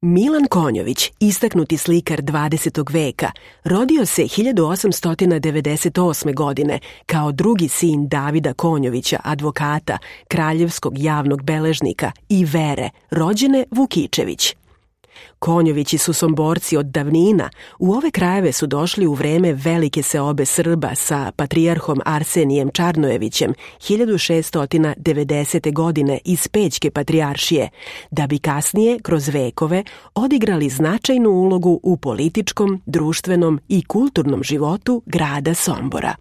Milan Konjović, istaknuti slikar 20. veka, rodio se 1898. godine kao drugi sin Davida Konjovića, advokata, kraljevskog javnog beležnika i Vere, rođene Vukičević. Konjovići su Somborci od davnina, u ove krajeve su došli u vreme velike seobe Srba sa patrijarhom Arsenijem Čarnojevićem 1690. godine iz Pećke patrijaršije, da bi kasnije, kroz vekove, odigrali značajnu ulogu u političkom, društvenom i kulturnom životu grada Sombora.